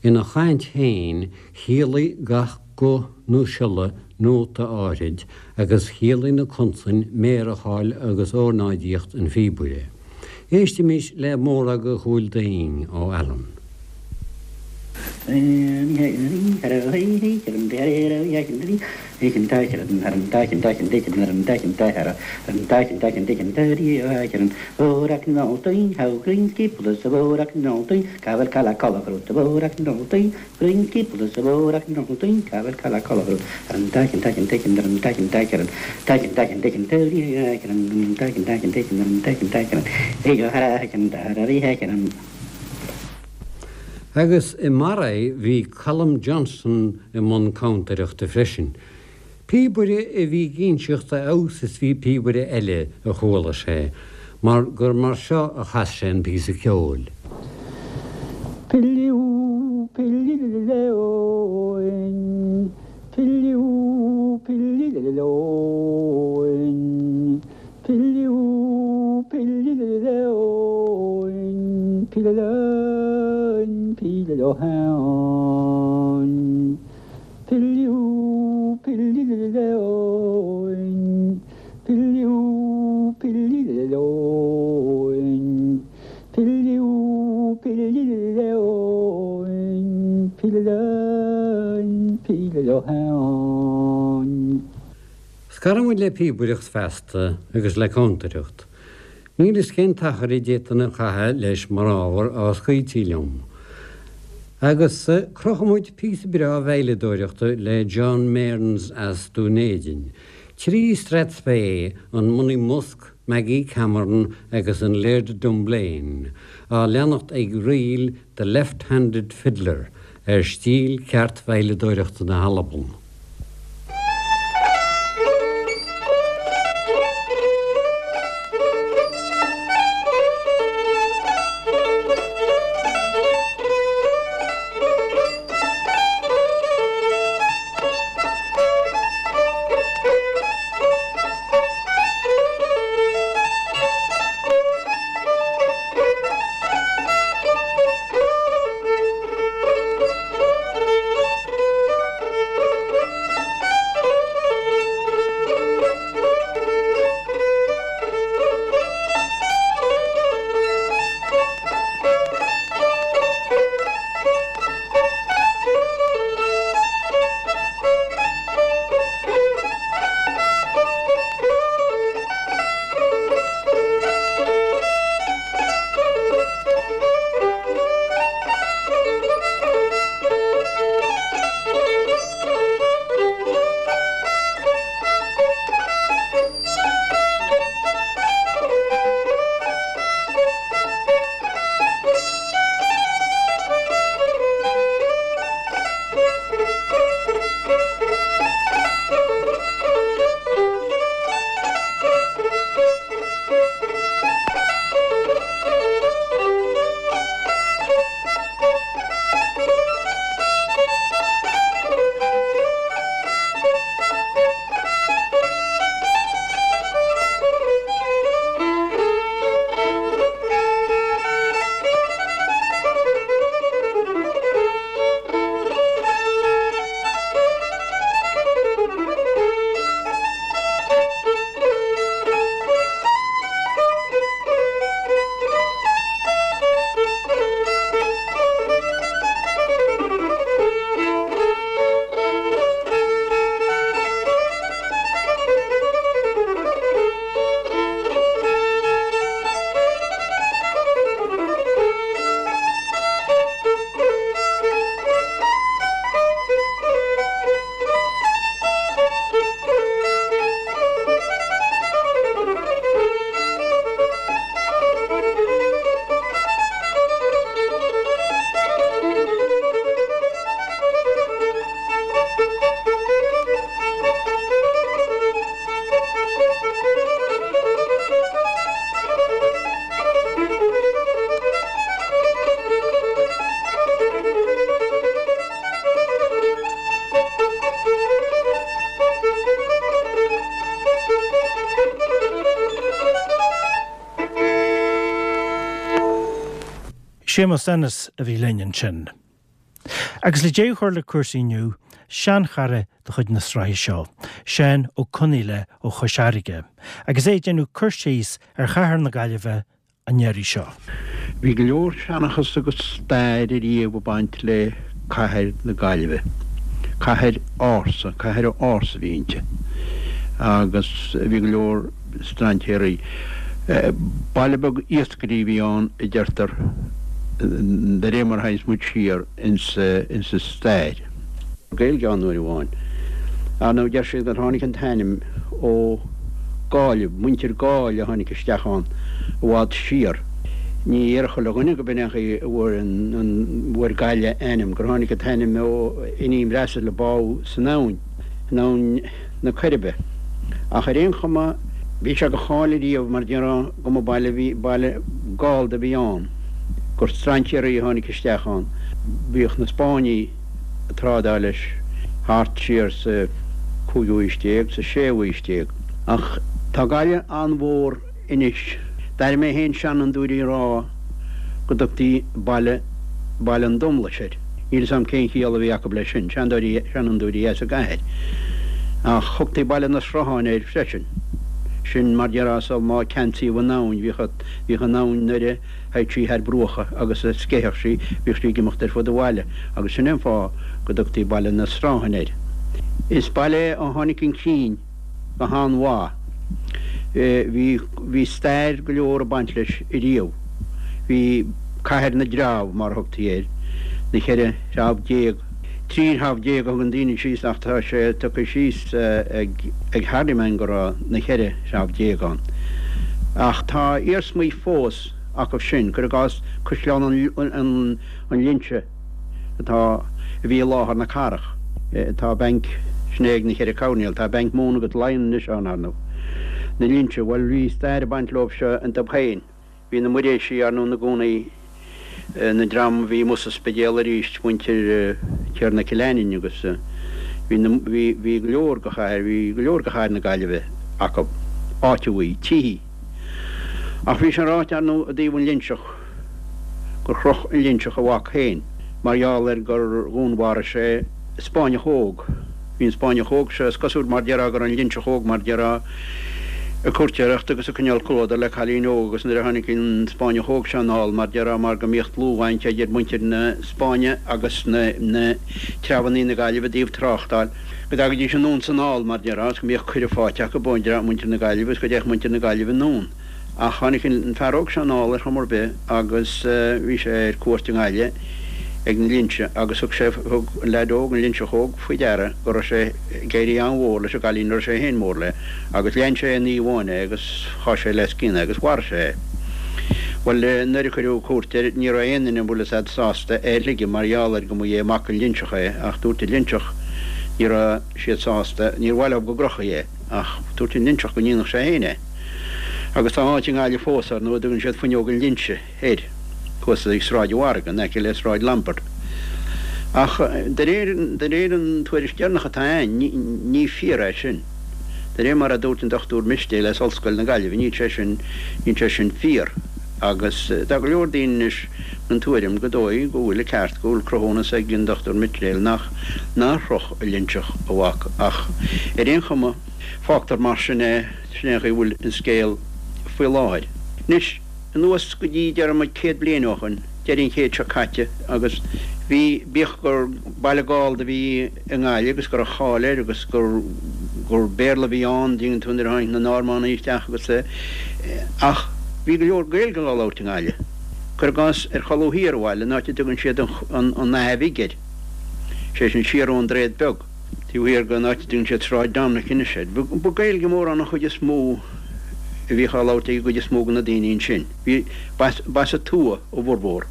Ina chaint féin chiallaigh gach guth nó siolla nóta áirid agus chiallaigh na consain méaracháil agus ornáidíocht an phíobaire. Éistimis le Mòrag a Chúil Daing ó Alan. Agus i Maray bhí Colm Johnson i mbun cantaireachta freisin. Píobaire a bhí ag inseacht a fheabhas is bhí píobaire eile a chuala sé, mar gur mar seo a chas sé an píosa ceoil. Pilliú, pillileoin, pilliú, pillileoin, pilliú, pillileoin, pillileoin, pillileoin, pilliú, pillileoin, pilliú, pillileoin, pilliú, pillileoin, pillileoin, pillileoin. Scarann muid le píobaireacht feasta agus le cantaireacht. Níl fhios cén t-achar a d'fhéadfainn a chaitheamh leis mar ábhar á scaoiltí liom. Agus crochfaidh muid píosa breá veidhleadóireachta le John Mearns as Dún Éideann. Trí Strathspey, an Monymusk, Maggie Cameron agus an Laird Dunblane, á leanacht ag ríl The Left-Handed Fiddler ar stíl ceart veidhleadóireachta na hAlban. Séamus Ennis a bhí linn ansin. Agus le deireadh a chur le cúrsaí inniu, seanchara de chuid na sraithe seo, Seán Ó Conaola ó Chois Fharraige, agus é ag déanamh cur síos ar chathair na Gaillimhe an iarraidh seo. Bhí go leor seanchas agus stair ariamh ag baint le cathair na Gaillimhe. Cathair ársa, cathair ársa a bhí inti. Agus bhí go leor strainséirí. Baile beag iascairí a bhí ann a deirtear de réir mar a théanns muid siar insa stair. Gaeilge ann uair amháin. Ar ndóigh deir siad gur tháinig an t-ainm ó Gáillibh, muintir Gaill a tháinig isteach ann i bhfad siar. Ní déarfadh chuile dhuine go b'in é an chaoi a bhfuair an bhfuair Gaillimh a ainm, gur tháinig an t-ainm ó iníon Bhrasaíl a bádh san abhainn, in abhainn na Coiribe. Ach ar aon chuma, bhí sé de cháil ariamh mar déarfá go mba baile bhí baile Gallda a bhí ann, gur strainséirí a tháinig isteach ann. Bhíodh na Spáinnigh ag trádáil leis thart siar sa cúigiú haois déag, sa séú haois déag. Ach tá Gaillimh an-mhór anois. D'airigh mé féin seanfhondúirí ag rá go dtugtaí Baile Baile an Domlais air. Níl 'fhios a'm cén chiall a bhí acu leis sin, seandóirí seanfhondúirí as an gcathair. Ach thugtaí Baile na Sruthán air freisin. Sin mar déarfá sul má ceansaíodh an abhainn, bhíodh bhíodh an abhainn nuair a théadh sí thar bruacha agus a sceitheadh sí, bhíodh sí ag imeacht ar fud an bhaile agus sin é an fáth go dtugtaí Baile na Sruthán air. Is baile é a tháinig chun cinn go han-mhaith. Bhí bhí stair go leor ag baint leis ariamh. Bhí Cathair na dTreabh, mar a thugtaí air, na cheithre threabh déag, trí threabh déag a thugann daoine síos ach tá sé tugtha síos ag ag Hardiman go raibh na cheithre threabh déag ann. Ach tá iarsmaí fós acu sin, cuir i gcás Caisleán an an Linse atá a bhí i láthair na cathrach. Tá banc, sin é ag na ceithre coirnéal, tá banc Móna agus Laighean anois ann, ar ndóigh. Na Linse, bhuel bhí stair ag baint leo seo iontu féin. Bhí na Muiréisigh, ar ndóigh, ina gcónaí, na dream a bhí amuigh sa Spidéal arís, muintir Tiarna Cill Aininn agus bhí na, bhí, bhí go leor de chathair, bhí go leor de chathair na Gaillimhe acu, áiteamhaí, tithí. Ach bhí sé ráite, ar ndóigh, i dtaobh an Linseach, gur chroch an Linseach a mhac féin mar gheall ar gur dhúnmharaigh sé Spáinneach óg. Bhí an Spáinneach óg seo, is cosúil mar déarfá go raibh an Linseach óg mar déarfá ag cúirtéireacht agus ag coinneáil comhluadar le cailín óg agus nuair a tháinig an Spáinneach óg seo anall mar déarfá mar go mbíodh dlúthbhaint idir muintir na Spáinne agus na na treabhannaí na Gaillimhe i dtaobh tráchtáil go dtagaidís anonn 's anall mar déarfá agus go mbíodh cuireadh faighte acu ó mhuintir na Gaillimhe agus go dtéadh muintir na Gaillimhe anonn. Ach tháinig an fear óg seo anall ar chuma ar bith agus bhí sé ar cuairt i nGaillimh ag na Linse agus thug sé, thug an leaid óg, an Linseach óg, faoi deara go raibh sé ag éirí an-mhór leis an gcailín a raibh sé féin mór léi agus lean sé aon oíche amháin é agus sháigh sé le scian é agus mharaigh sé é. Bhuel, nuair a cuireadh cúirt air ní raibh aon duine, bhfuil fhios a'd, sásta é a shloigeadh mar gheall ar go mba é mac an Linseach é ach dúirt an Linseach ní raibh siad sásta, níor mhaith leo go gcrochfaí é ach dúirt an Linseach go ndéanfadh sé féin é. Agus tá áit i nGaillimh fós, ar ndóigh, a dtugann siad Fuinneog an Linse air, thuas ag Sráid an Mhargaidh, in aice le Sráid Lombard. Ach de réir, de réir an tuairisc deireanach atá a'inn, ní, ní fíor é sin. De réir mar a dúirt an Dochtúir Mistéil as Ollscoil na Gaillimhe, níl sé sin, níl sé sin fíor. Agus tá go leor daoine anois den tuairim go dóigh go bhfuil an ceart, go bhfuil cruthúnas ag an Dochtúir Mistéil nach, nár chroch an Linseach a mhac. Ach ar aon chuma, fágtar mar sin é. Sin é an chaoi a bhfuil an scéal faoi láthair. Anois, anuas go dtí, déarfaidh muid, céad bliain ó shoin, deireadh an chéid seo caite, agus bhí, bíodh gur baile Gallda a bhí i nGaillimh agus go raibh cáil air agus gur, gur Béarla a bhí ann, dtuigeann tú, nuair a tháinig na Normannaigh isteach agus, ach bhí go leor Gaeilge á labhairt i nGaillimh. Cuir i gcás, ar cholbha thiar an bhaile, an áit a dtugann siad an, an Fhaiche Bhig air, sé sin siar ón Droichead Beag. Taobh thiar den áit a dtugann siad Sráid Dominic anois air. Ba Gaeilge mórán an chuid is mó a bhíodh á labhairt ag an gcuid is mó de na daoine ansin. Bhí, ba as an tuath a bhformhór.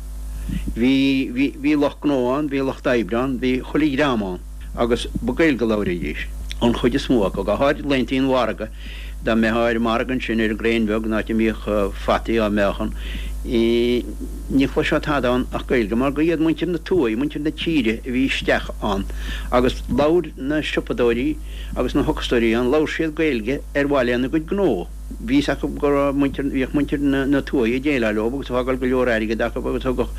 Bhí, bhí, bhí lucht gnó ann, bhí lucht oibre ann, bhí chuile dhream ann agus ba Gaeilge a labhraídís, an chuid is mó acu, go háirid laethantaí an mhargaidh. Dá mbeifeá ar an margadh ansin ar an gCraein Bheag, an áit a mbíodh fataí á meáchan, Ní chloisfeá tada ann ach Gaeilge, mar gur iad muintir na tuaithe, muintir na tíre a bhí isteach ann agus labhair na siopadóirí agus na hocastóirí ann, labhair siad Gaeilge ar mhaith lena gcuid gnó. Bhí fhios acu go raibh muintir, bhíodh muintir na tuaithe ag déileáil leo agus ag fágáil go leor airgid acu agus thugadh,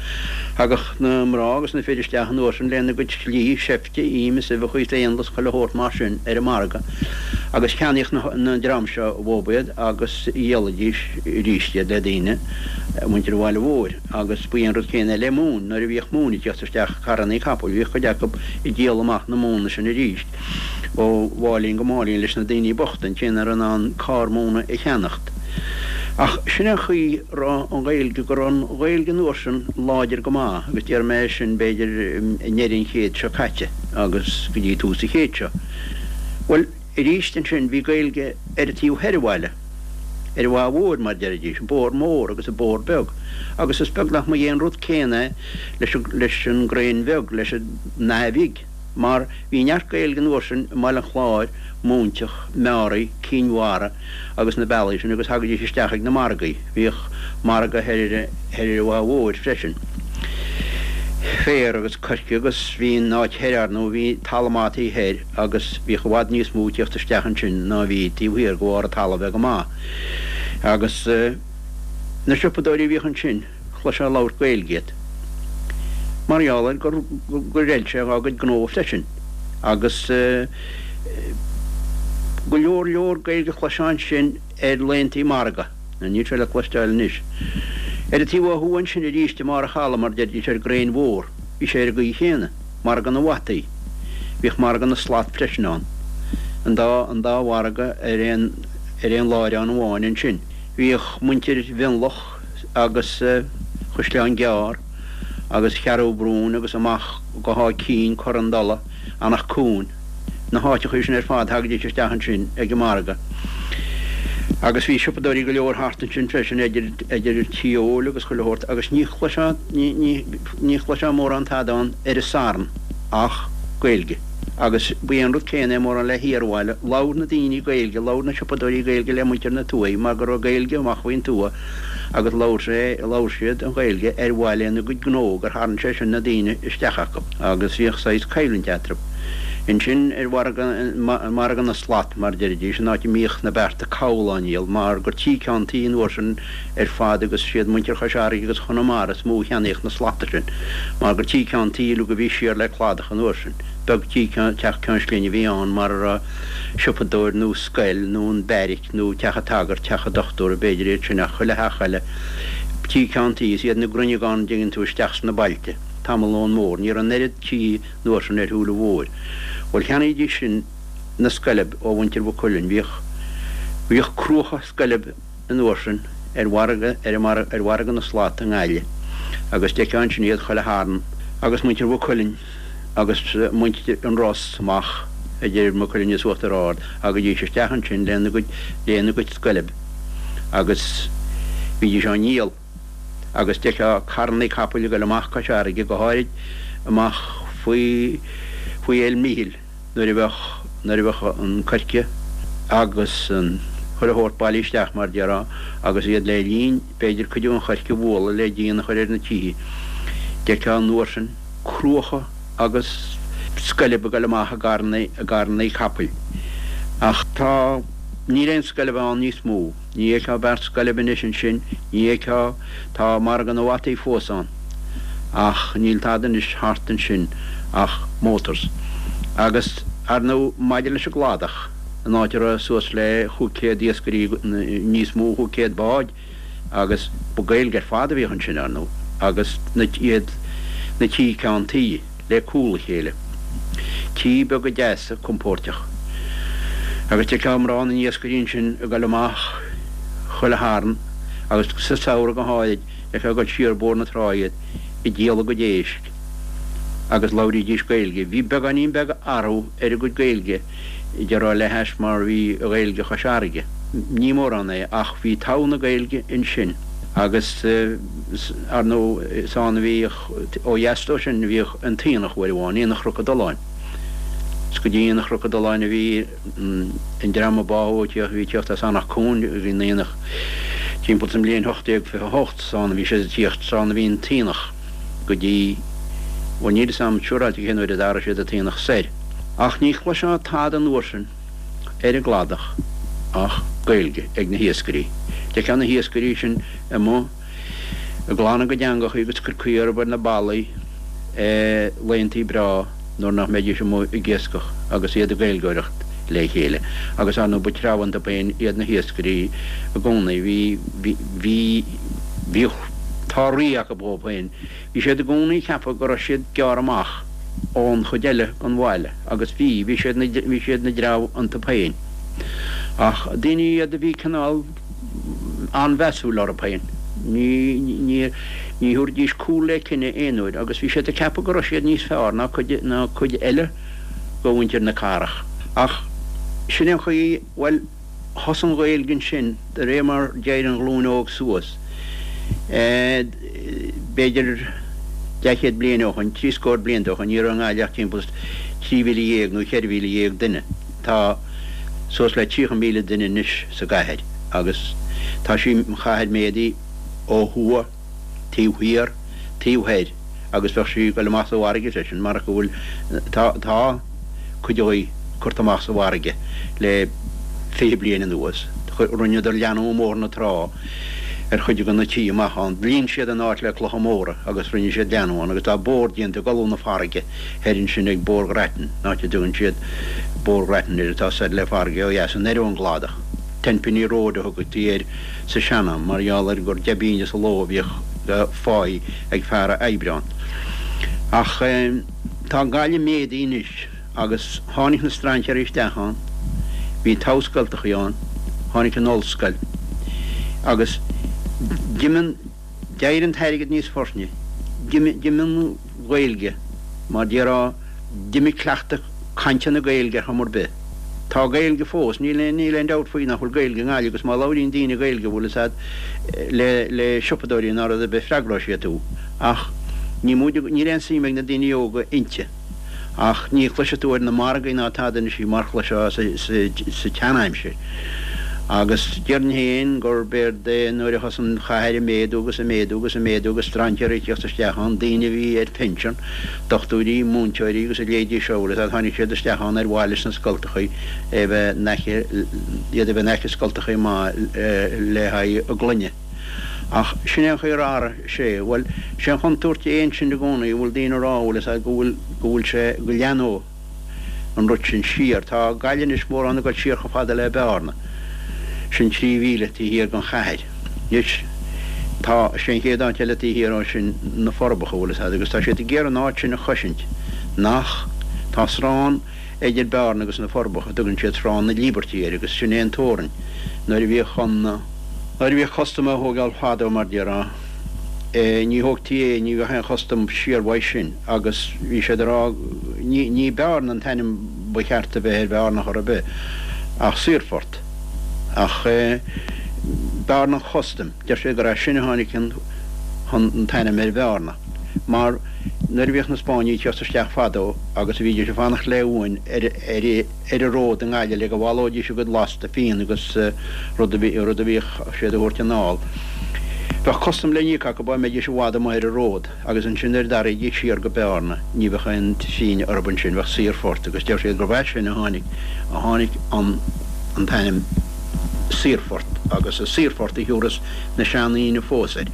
thagadh na mná agus na fir isteach an uair sin lena gcuid slí, seifte, im is uibheacha is éanlaith is chuile shórt mar sin ar an margadh agus cheannaíodh na, an dream seo uathu iad agus dhíolaidís arís iad le daoine, muintir an bhaile mhóir agus ba é an rud céanna le móin, nuair a bhíodh móin ag tíocht isteach, carrannaí capaill, bhíodh cuid acu ag díol amach na móna sin arís ó mháilín go máilín leis na daoine bochta, an té nach raibh in ann carr móna a cheannacht. Ach sin an chaoi a raibh an Ghaeilge, go raibh an Ghaeilge an uair sin láidir go maith agus déarfaidh mé sin b'fhéidir i ndeireadh an chéid seo caite agus go dtí tús an chéid seo. Bhuel, arís ansin bhí Gaeilge ar an taobh thoir an bhaile, ar an Mhaigh Mhóir mar deiridís, an Bóthar Mór agus an Bóthar Beag agus is beag nach mba é an rud céanna é leis an leis an gCraein Bheag, leis an Fhaiche Bhig mar bhí neart Gaeilge an uair sin i mBaile an Chláir, Móinteach, Meáraí, Cinn Mhara agus na bealaí sin agus thagaidís isteach ag na margaí. Bhíodh margadh thoir ar thoir ar an Mhaigh Mhóir freisin. Féar agus coirce agus bhí an áit thoir ar ndóigh, bhí talamh maith taobh thoir agus bhíodh i bhfad níos mó ag tíocht isteach ansin ná a bhí taobh thiar de bharr an talamh bheith go maith. Agus na siopadóirí a bhíodh ansin, chloisfeá ag labhairt Gaeilge iad. Mar gheall ar gur gur fheil sé dhá gcuid gnó freisin. Agus go leor leor Gaeilge a chloisfeá ansin ar laethantaí margaidh. Níl sé le cloisteáil anois. Ar an taobh ó thuaidh ansin arís i mbarr an chalaidh, mar a deiridís, ar an gCraein Mhór, bhí sé ar an gcaoi chéanna. Margadh na bhfataí. Bhíodh margadh na slat freisin ann. An dá, an dá mhargadh ar aon, ar aon láithreán amháin ansin. Bhíodh muintir Mhionlach agus Chaisleán Gearr agus Cheathrú Brúin agus amach go hÁth Cinn, Cor an Dola, Eanach Cuain, na háiteachaí sin ar fad, thagaidís isteach ansin ag an margadh. Agus bhí siopadóirí go leor thart ansin freisin, idir, idir tí óil agus chuile shórt, agus ní chloisfeá, ní, ní, ní chloisfeá mórán tada ann ar an Satharn ach Gaeilge. Agus ba é an rud céanna é mórán le hiarbhaile, labhair na daoine Gaeilge, labhair na siopadóirí Gaeilge le muintir na tuaithe mar go raibh Gaeilge amach faoin tuath agus labhair sé, labhair siad an Ghaeilge ar mhaith lena gcuid gnó gur tharraing sé sin na daoine isteach acu agus bhíodh saghas coimhlint eatarthu. Ansin ar mhargadh, margadh na slat mar a deiridís, an áit a mbíodh na bearta cabhail á ndíol mar gur tí ceann tí an uair sin ar fad agus siad muintir Chois Fharraige agus Chonamara is mó a cheannaíodh na slata sin mar gur tí ceann tí uilig a bhí siar le cladach an uair sin. Beag tí ceann, teach ceann slinne a bhí ann mar a raibh siopadóir nó scoil nó an beairic nó teach an tsagairt, teach an dochtúra b'fhéidir iad sin ach chuile theach eile tí ceann tí is iad na grinneagáin a dteigheann tú isteach sna bailte tamall ón mbóthar. Ní raibh an oiread tí an uair sin ar shiúl an bhóthair. Bhuel, cheannaídís sin na scoilb ó mhuintir Mhaigh Cuilinn. Bhíodh, bhíodh cruacha scoilb an uair sin ar mhargadh, ar an mar, ar mhargadh na slat i nGaillimh agus d'fheicfeá ansin iad chuile Shatharn agus muintir Mhaigh Cuilinn agus muintir an Ros amach idir Maigh Cuilinn is Uachtar Ard, thagaidís isteach ansin lena gcuid, lena gcuid scoilb agus bhídís á ndíol. Agus d'fheicfeá carrannaí capaill ag dul amach Cois Fharraige, go háirid amach faoi faoi Fhéil Mhichíl nuair a bheadh nuair a bheadh an coirce agus an chuile shórt bailithe isteach mar déarfá agus iad le linn b'fhéidir cuid den choirce a bhualadh le díon a chur ar na tithe. D'fheicfeá an uair sin cruacha agus scoilb ag dul amach i gcarrannaí i gcarrannaí capaill. Ach tá níl aon scoilb ann níos mó. Ní fheicfeá beart scoilb anois ansin, ní fheicfeá, tá margadh na bhfataí fós ann, ach níl tada anois thart ansin ach motors. Agus, ar ndóigh, maidir leis an gcladach, an áit a raibh suas le chúig chéad iascairí, níos mó, chúig chéad bád, agus ba Gaeilge ar fad a bhíodh ansin, ar ndóigh, agus na, iad, na tí ceann tuí, le cúl a chéile. Tí beaga deasa, compóirteach. Agus d'fheicfeá mná na n-iascairí ansin ag dul amach chuile Shatharn agus sa samhradh go háirid, d'fheicfeá ag dul siar Bóthar na Trá iad ag díol a gcuid éisc agus labhraídís Gaeilge. Bhí beagáinín beag athrú ar a gcuid Gaeilge, déarfá le hais mar bhí Gaeilge Chois Fharraige. Ní mórán é ach bhí togha na Gaeilge ansin agus ar ndóigh is ann a bhíodh, ó dheas dó sin bhíodh an t-aonach uair amháin, Aonach Chnoc an Doláin. Is go dtí Aonach Chnoc an Doláin a bhí an dream a báthadh a bhí ag tíocht as Eanach Cuain ag an aonach. Timpeall sa mbliain ocht déag fiche a hocht, san a bhí siad ag tíocht, san a bhí an t-aonach go dtí, bhuel níl 'fhios a'm siúráilte cén uair a d'athraigh siad an t-aonach soir. Ach ní chloisfeá tada an uair sin ar an gcladach ach Gaeilge ag na hiascairí. D'fheicfeá na hiascairí sin amuigh ag glanadh a gcuid eangachaí agus ag cur caoi orthu ar na ballaí laethantaí breá nuair nach mbeidís amuigh ag iascach agus iad ag Gaeilgeoireacht le chéile. Agus ar ndóigh ba treabh iontu féin iad na hiascairí i gcónaí. Bhí, bhí, bhí, bhíodh, tá rí acu dhóibh féin. Bhí siad i gcónaí ag ceapadh go raibh siad gearrtha amach ón chuid eile den bhaile agus bhí, bhí siad, bhí siad ina dtreabh iontu féin. Ach daoine iad a bhí cineál an-mheasúil orthu féin. Ní, ní, ní thabharfaidís cúl le cine aon uair agus bhí siad ag ceapadh go raibh siad níos fearr ná cuid, ná cuid eile de mhuintir na cathrach. Ach sin é an chaoi, bhuel, thosaigh an Ghaeilge ansin de réir mar d'éirigh an ghlúin óg suas. B'fhéidir leathchéad bliain ó shoin, trí scór blianta ó shoin, ní raibh i nGaillimh ach timpeall is trí mhíle dhéag nó cheithre mhíle dhéag duine. Tá suas le tríocha míle duine anois sa gcathair agus tá sí, an chathair méadaithe ó thuaidh, taobh thiar, taobh thoir agus bheadh sí ag dul amach sa bhfarraige freisin marach go bhfuil, tá, tá cuid dhi curtha amach sa bhfarraige le fiche bliain anuas. Rinneadar leathnú i mBóthar na Trá ar chuid de na tithe amach ann. Líon siad an áit le clocha móra agus rinne siad leathnú ann agus tá bóthar déanta ag dul ó na farraige thoir ansin ag Bóthar Ghrattan, an áit a dtugann siad Bóthar Ghrattan air atá soir le farraige ó dheas, anoir ón gcladach. Tenpenny Road a thugtaí air sa sean-am mar gheall ar gur deich bpingine sa ló a bhíodh de pháí ag fear a oibrigh ann. Ach tá Gaillimh méadaithe anois agus tháinig na strainséirí isteach ann, bhí togha scoltachaí ann, tháinig an ollscoil agus d'imigh an, d'éirigh an t-airgead níos fortne, d'imigh an Ghaeilge mar déarfá, d'imigh cleachtadh cainte na Gaeilge ar chuma ar bith. Tá Gaeilge fós, níl aon, níl aon dabht faoi nach bhfuil Gaeilge i nGaillimh agus má labhraíonn daoine Gaeilge bhfuil fhios a'd le, le siopadóirí ná rud ar bith freagróidh siad thú. Ach ní móide, níl aon suim ag na daoine óga inti. Ach ní chloisfidh tú ar na margaí ná tada anois í mar chloisfeá sa, sa, sa tseanaimsir. Agus déarfainn féin gurb éard é nuair a thosaigh an chathair ag méadú agus ag méadú agus ag méadú agus strainséirí ag tíocht isteach ann, daoine a bhí ar pinsean, dochtúirí, múinteoirí agus a leithéidí seo, bhfuil fhios a'd, tháinig siad isteach ann ar mhaith leis na scoltachaí a bheith in aice, iad a bheith in aice scoltachaí maith le haghaidh a gclainne. Ach sin é an chaoi ar athraigh sé. Bhuel, sé an chontúirt é ansin i gcónaí, a bhfuil daoine ag rá, bhfuil fhios a'd, go bhfuil, go bhfuil sé, go leathnóidh. an rud sin siar. Tá Gaillimh anois mórán ag dul siar chomh fada le Bearna, sin trí mhíle taobh thiar den chathair. Anois tá, sé an chéad áit eile taobh thiar ó sin na Forbacha, bhfuil fhios a'd, agus tá siad ag iarraidh an áit sin a chosaint, nach, tá srán idir Bearna agus na Forbacha, tugann siad Srán na Líbeirtí air agus sin é an teorainn nuair a bhíodh an, nuair a bhíodh custam á thógáil fadó mar déarfá, ní thógtaí é, ní bheadh aon chustam siar uaidh sin agus bhí siad ag rá, ní, ní Bearna an t-ainm ba cheart a bheith ar Bhearna chor ar bith ach Saorphort. Ach Bearna an Chustaim, deir siad gur as sin a tháinig an, an t-ainm ar Bhearna mar nuair a bhíodh na Spáinnigh ag tíocht isteach fadó agus a bhídís ag fanacht le uain ar, ar, ar an ród i nGaillimh le go bhaileoidís a gcuid lasta fíon agus rud a bhí, rud a bhíodh siad a thabhairt anall. Bheadh custam le n-íoc acu dá mbeidís i bhfad amuigh ar an ród agus ansin nuair a d'athraídís siar go Bearna ní bheadh aon fíne orthu ansin, bheadh saorphort agus deir siad gurbh as sin a tháinig, a tháinig an, an t-ainm Saorphort agus is Saorphort a thiúrfas na seandaoine fós air.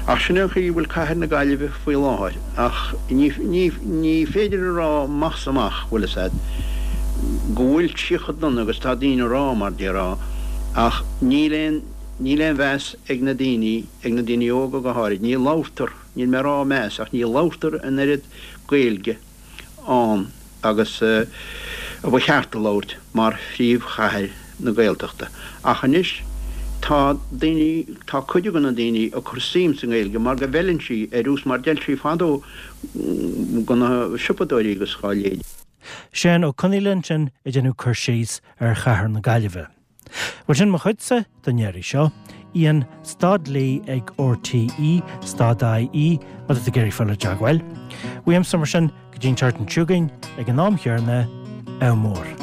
Ach sin é an chaoi a bhfuil cathair na Gaillimhe faoi láthair. Ach ní, ní, ní féidir a rá amach 's amach, bhfuil fhios a'd, go bhfuil sí chomh dona agus tá daoine a rá, mar déarfá, ach níl aon, níl aon mheas ag na daoine, ag na daoine óga go háirid, ní labhartar, níl mé a rá meas, ach ní labhartar an oiread Gaeilge ann agus a ba cheart a labhairt mar phríomhchathair na Gaeltachta. Ach anois tá daoine, tá cuid de na daoine ag cur suim sa nGaeilge mar go bhfeileann sí ar nós mar d'fheil sí fadó go na siopadóirí agus dhá leithéid. Seán Ó Conghaile ansin ag déanamh cur síos ar chathair na Gaillimhe. Bhuel sin mo chuidse don iarraidh seo, Ian stad Lee ag RTE stad IE má tá tú ag iarraidh fáil i dteagmháil. Uaimse mar sin go dtí an tseachtain seo chugainn ag an am chéanna, ádh mór.